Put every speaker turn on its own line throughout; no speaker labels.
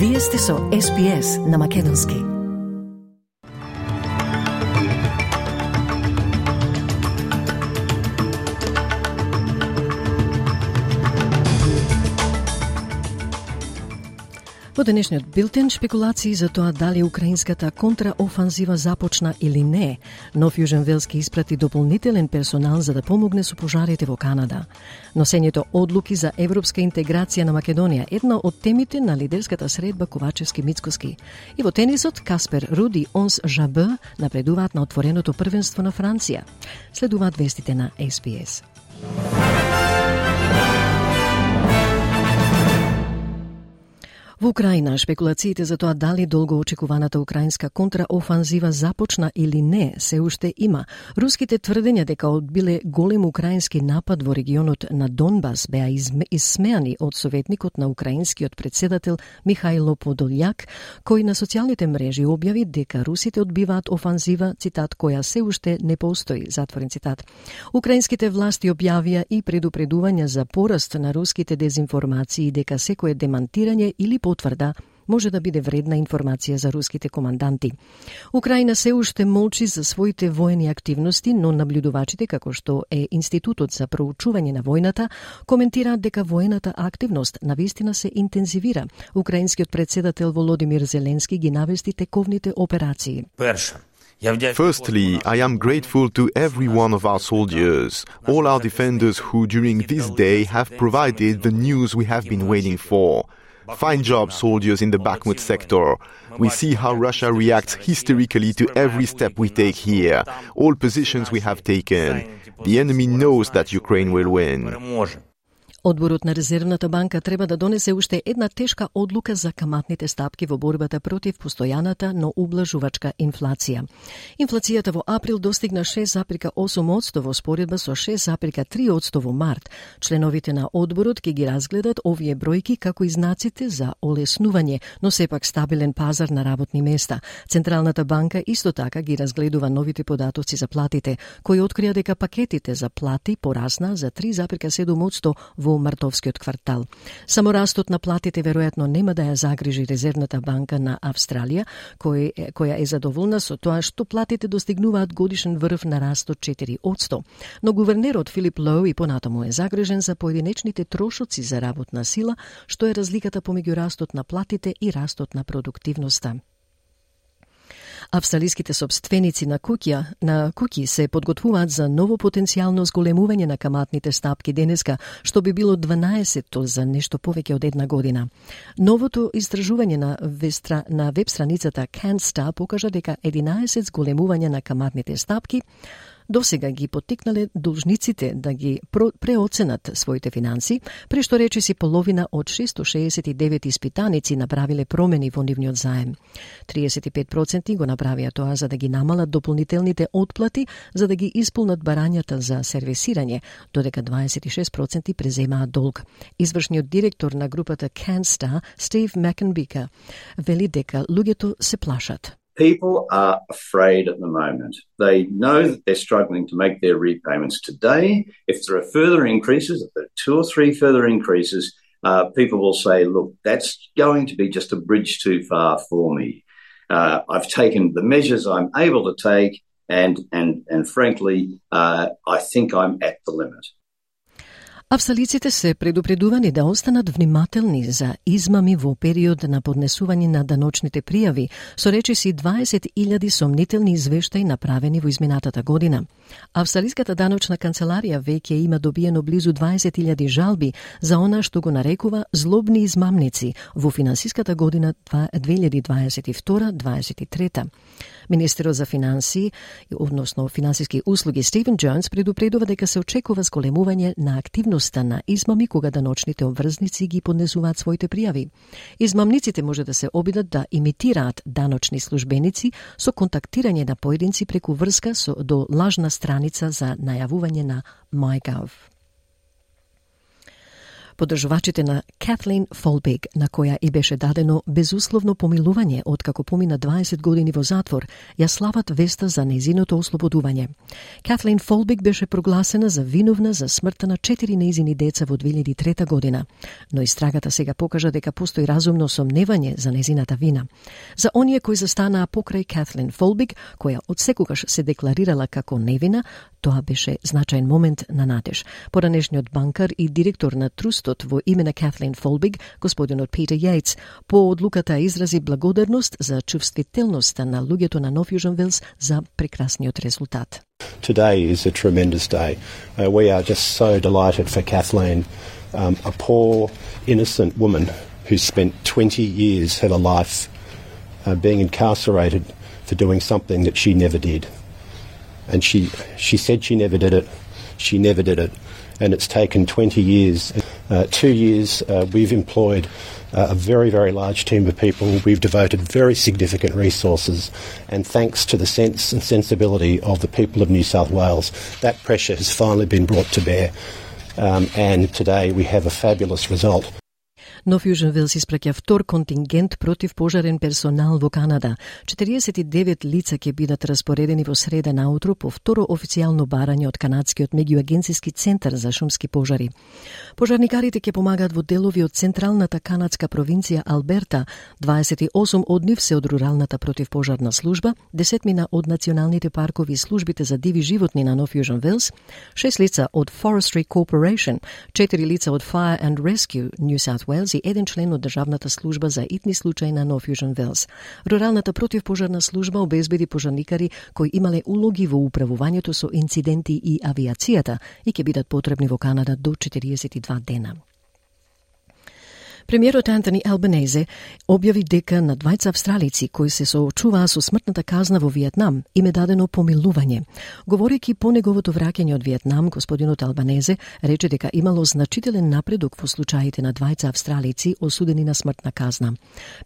Вие сте со SPS на Македонски. Во денешниот билтен шпекулации за тоа дали украинската контраофанзива започна или не. Нов Јужен Велски испрати дополнителен персонал за да помогне со пожарите во Канада. Носењето одлуки за европска интеграција на Македонија, една од темите на лидерската средба Ковачевски-Мицкоски. И во тенисот Каспер Руд и Онс Жабе напредуваат на отвореното првенство на Франција. Следуваат вестите на SPS. Во Украина, шпекулациите за тоа дали долгоочекуваната украинска контраофанзива започна или не се уште има. Руските тврдења дека одбиле голем украински напад во регионот на Донбас беа исмеани од советникот на украинскиот председател Михајло Подолјак, кој на социјалните мрежи објави дека русите одбиваат офанзива, цитат, која се уште не постои, затворен цитат. Украинските власти објавија и предупредувања за пораст на руските дезинформации дека секое демантирање или потврда може да биде вредна информација за руските команданти. Украина се уште молчи за своите воени активности, но наблюдувачите, како што е Институтот за проучување на војната, коментираат дека воената активност навистина се интензивира. Украинскиот председател Володимир Зеленски ги навести тековните операции.
Firstly, I am grateful to every one of our soldiers, all our defenders who during this day have provided the news we have been waiting for. Fine job, soldiers in the Bakhmut sector. We see how Russia reacts hysterically to every step we take here, all positions we have taken. The enemy knows that Ukraine will win.
Одборот на Резервната банка треба да донесе уште една тешка одлука за каматните стапки во борбата против постојаната, но ублажувачка инфлација. Инфлацијата во април достигна 6,8% во споредба со 6,3% во март. Членовите на одборот ќе ги разгледат овие бројки како и знаците за олеснување, но сепак стабилен пазар на работни места. Централната банка исто така ги разгледува новите податоци за платите, кои открија дека пакетите за плати порасна за 3,7% во мартовскиот квартал. Само растот на платите веројатно нема да ја загрижи Резервната банка на Австралија, која е задоволна со тоа што платите достигнуваат годишен врв на раст од 4%. Но гувернерот Филип Лоу и понатаму е загрижен за поединечните трошоци за работна сила, што е разликата помеѓу растот на платите и растот на продуктивноста. Австралиските собственици на куќи се подготвуваат за ново потенцијално зголемување на каматните стапки денеска, што би било 12-то за нешто повеќе од една година. Новото истражување на веб страницата CanStar покажа дека 11 зголемувања на каматните стапки досега ги поттикнале должниците да ги преоценат своите финанси, при што речиси половина од 669 испитаници направиле промени во нивниот заем. 35% го направија тоа за да ги намалат дополнителните отплати, за да ги исполнат барањата за сервисирање, додека 26% преземаат долг. Извршниот директор на групата CanStar, Стив Макенбика, вели дека луѓето се плашат.
People are afraid at the moment. They know that they're struggling to make their repayments today. If there are further increases, if there are 2 or 3 further increases, people will say, look, that's going to be just a bridge too far for me. I've taken the measures I'm able to take, and frankly, I think I'm at the limit.
Австралиците се предупредувани да останат внимателни за измами во период на поднесување на даночните пријави, со речиси 20.000 сомнителни извештаи направени во изминатата година. Австралиската даночна канцеларија веќе има добиено близу 20.000 жалби за она што го нарекува злобни измамници во финансиската година 2022-2023. Министерот за финансии, односно финансиски услуги Стивен Джонс предупредува дека се очекува зголемување на активноста на измами кога даночните обврзници ги поднесуваат своите пријави. Измамниците може да се обидат да имитираат даночни службеници со контактирање на поединци преку врска до лажна страница за најавување на MyGov. Поддржувачите на Катлин Фолбиг, на која и беше дадено безусловно помилување откако помина 20 години во затвор, ја слават веста за нејзиното ослободување. Катлин Фолбиг беше прогласена за виновна за смртта на 4 нејзини деца во 2003 година, но истрагата сега покажа дека постои разумно сомневање за нејзината вина. За оние кои застанаа покрај Катлин Фолбиг, која одсекогаш се декларирала како невина, тоа беше значаен момент на надеж. Поранешниот банкар и директор на трустот во име на Катлин Фолбиг, господинот Питер Јејтс, по одлуката изрази благодарност за чувствителноста на луѓето на Нов Јужен Велс за прекрасниот резултат.
Today is a tremendous day. We are just so delighted for Kathleen, a poor, innocent woman who spent 20 years of her life being incarcerated for doing something that she never did. And she said she never did it. She never did it. And it's taken 20 years. 2 years we've employed a very, very large team of people. We've devoted very significant resources. And thanks to the sense and sensibility of the people of New South Wales, that pressure has finally been brought to bear. And today we have a fabulous result.
Нов Јужен Велс испраќа втор контингент против пожарен персонал во Канада. 49 лица ќе бидат распоредени во среда наутро по второ официјално барање од канадскиот меѓуагенцијски центар за шумски пожари. Пожарникарите ќе помагаат во делови од централната канадска провинција Алберта. 28 од нив се од руралната противпожарна служба, 10 од националните паркови и службите за диви животни на Нов Јужен Велс, 6 лица од Forestry Corporation, 4 лица од Fire and Rescue New South Wales и еден член од Државната служба за итни случаи на Нов Јужен Велс. Руралната противпожарна служба обезбеди пожарникари кои имале улоги во управувањето со инциденти и авиацијата и ќе бидат потребни во Канада до 42 дена. Премиерот Антони Албанезе објави дека на двајца австралици кои се соочуваа со смртната казна во Виетнам им е дадено помилување. Говорејќи по неговото враќање од Виетнам, господинот Албанезе рече дека имало значителен напредок во случаите на двајца австралици осудени на смртна казна.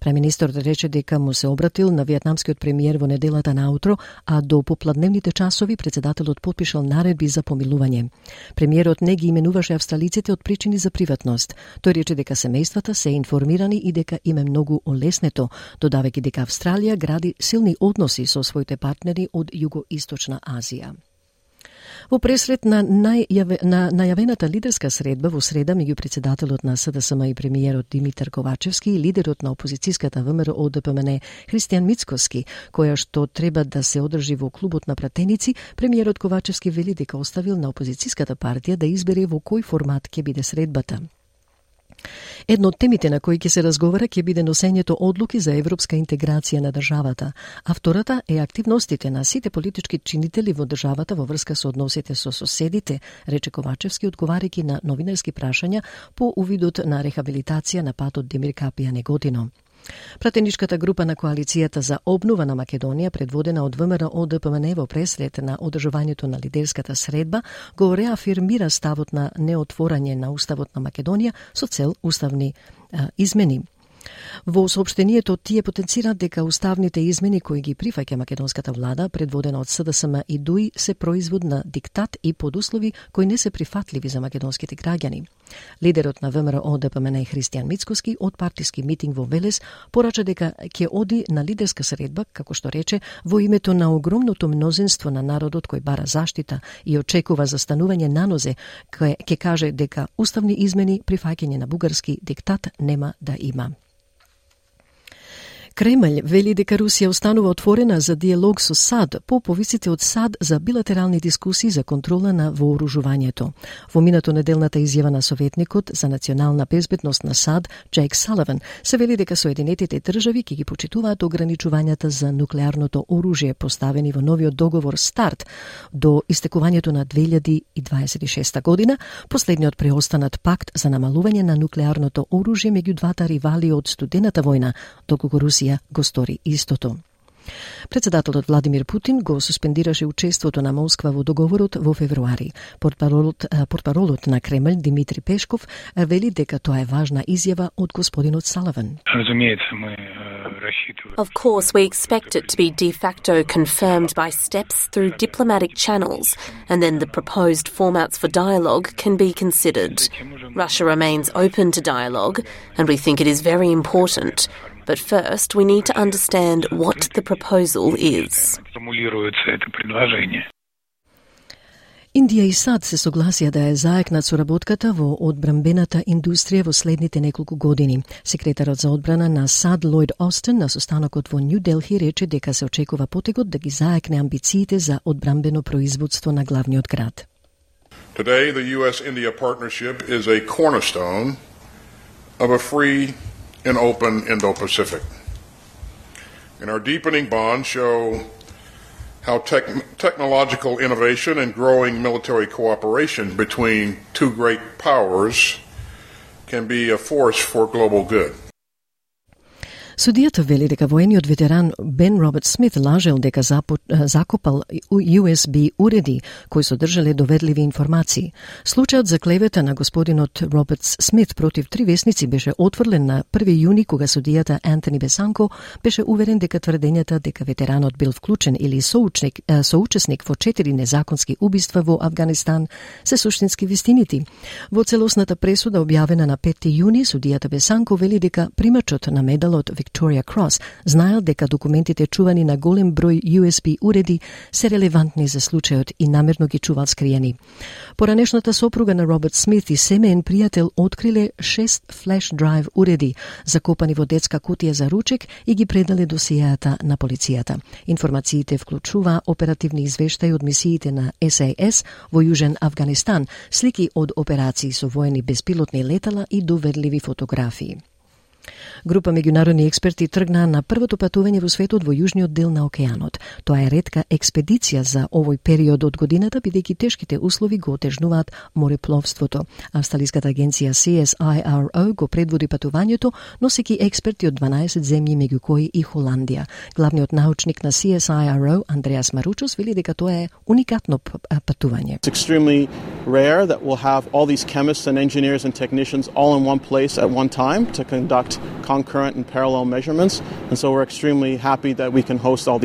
Премиерот рече дека му се обратил на виетнамскиот премиер во неделата наутро, а до попладневните часови претседателот потпишал наредби за помилување. Премиерот не ги именуваше австралиците од причини за приватност. Тој рече дека семејствата се информирани и дека им е многу олеснето, додавајќи дека Австралија гради силни односи со своите партнери од Југоисточна Азија. Во пресрет на најавената лидерска средба во среда меѓу претседателот на СДСМ и премиерот Димитар Ковачевски и лидерот на опозицијската ВМРО ДПМН Христијан Мицкоски, која што треба да се одржи во клубот на пратеници, премиерот Ковачевски вели дека оставил на опозицијската партија да избере во кој формат ќе биде средбата. Едно од темите на кои ќе се разговара ќе биде носењето одлуки за европска интеграција на државата, а втората е активностите на сите политички чинители во државата во врска со односите со соседите, рече Ковачевски одговарајќи на новинарски прашања по увидот на рехабилитација на патот Демир Капија Неготино. Пратеничката група на Коалицијата за обнова на Македонија, предводена од ВМРО ДПМН во пресрет на одржувањето на лидерската средба, го реафирмира ставот на неотворање на Уставот на Македонија со цел уставни измени. Во соопштението тие потенцираат дека уставните измени кои ги прифаќа македонската влада, предводена од СДСМ и ДУИ, се производ на диктат и подуслови кои не се прифатливи за македонските граѓани. Лидерот на ВМРО ДПМН Христијан Мицкоски од партиски митинг во Велес порача дека ќе оди на лидерска средба, како што рече, во името на огромното мнозинство на народот кој бара заштита и очекува застанување на нозе, ќе каже дека уставни измени прифаќање на бугарски диктат нема да има. Кремљ вели дека Русија останува отворена за диалог со САД по повиците од САД за билатерални дискусии за контрола на вооружувањето. Во минато неделната изјава на советникот за национална безбедност на САД, Джейк Саливан, се вели дека Соединетите држави ќе ги почитуваат ограничувањата за нуклеарното оружје поставени во новиот договор СТАРТ до истекувањето на 2026 година, последниот преостанат пакт за намалување на нуклеарното оружје меѓу двата ривали од студената војна, доколку Русија го стори истото. Председателот Владимир Путин го суспендираше учеството на Москва во договорот во февруари. Портпаролот на Кремљ Димитри Пешков вели дека тоа е важна изјава од господинот Саливан.
Разумеется, мы Of course, we expect it to be de facto confirmed by steps through diplomatic channels, and then the proposed formats for dialogue can be considered. Russia remains open to dialogue, and we think it is very important. But first, we need to understand what the proposal is.
Индија и САД се согласија да ја заекнат соработката во одбранбената индустрија во следните неколку години. Секретарот за одбрана на САД Лојд Остин на состанокот во Нью Делхи рече дека се очекува потегот да ги заекне амбициите за одбранбено производство на главниот град.
Today, the U.S.-India partnership is a cornerstone of a free and open Indo-Pacific. And our deepening bonds show how technological innovation and growing military cooperation between two great powers can be a force for global good.
Судијата вели дека воениот ветеран Бен Роберт Смит лажел дека закопал USB уреди кои содржале доверливи информации. Случајот за клевета на господинот Роберт Смит против 3 весници беше отфрлен на 1 јуни кога судијата Антони Бесанко беше уверен дека тврдењата дека ветеранот бил вклучен или соучесник во 4 незаконски убиства во Авганистан се суштински вистинити. Во целосната пресуда објавена на 5 јуни судијата Бесанко вели дека примачот на медалот Victoria Cross знаел дека документите чувани на голем број USB уреди се релевантни за случајот и намерно ги чувал скриени. Поранешната сопруга на Роберт Смит и семеен пријател откриле 6 флеш драйв уреди закопани во детска кутија за ручек и ги предале досиеата на полицијата. Информациите вклучува оперативни извештаи од мисиите на SAS во Јужен Авганистан, слики од операции со воени безпилотни летала и доверливи фотографии. Група меѓународни експерти тргнаа на првото патување во светот во јужниот дел на океанот. Тоа е ретка експедиција за овој период од годината, бидејќи тешките услови го отежнуваат морепловството. Австралиската агенција CSIRO го предводи патувањето, носејќи експерти од 12 земји, меѓу кои и Холандија. Главниот научник на CSIRO, Андреас Маручос, вели дека тоа е уникатно патување.
It's extremely rare that we'll have all these chemists and engineers and technicians all in one place at one time to conduct concurrent and parallel measurements, and so we're extremely happy that we can host all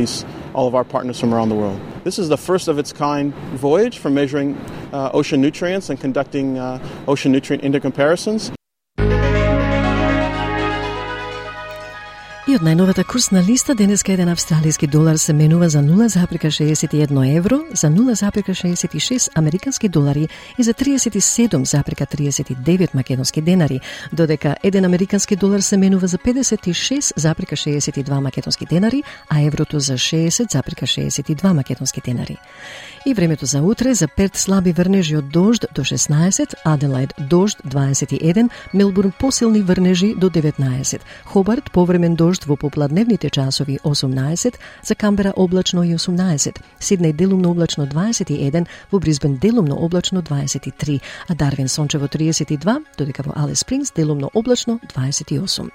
of our partners from around the world. This is the first of its kind voyage for measuring ocean nutrients and conducting ocean nutrient intercomparisons.
И од најновата курсна листа денеска еден австралиски долар се менува за 0,61 евро, за 0,66 американски долари и за 37,39 македонски денари, додека еден американски долар се менува за 56,62 македонски денари, а еврото за 60,62 македонски денари. И времето за утре: за Перт слаби врнежи од дожд до 16, Аделаид дожд 21, Мелбурн посилни врнежи до 19, Хобарт повремен дожд во попладневните часови 18, за Камбера облачно и 18, Сиднеј делумно облачно 21, во Брисбен делумно облачно 23, а Дарвин сончево 32, додека во Алис Спрингс делумно облачно 28.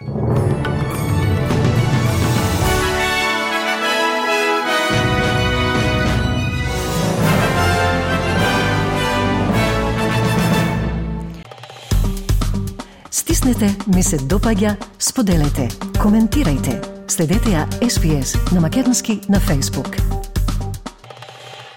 Стиснете, ми се допаѓа, споделете, коментирајте. Следете ја SPS на македонски на Facebook.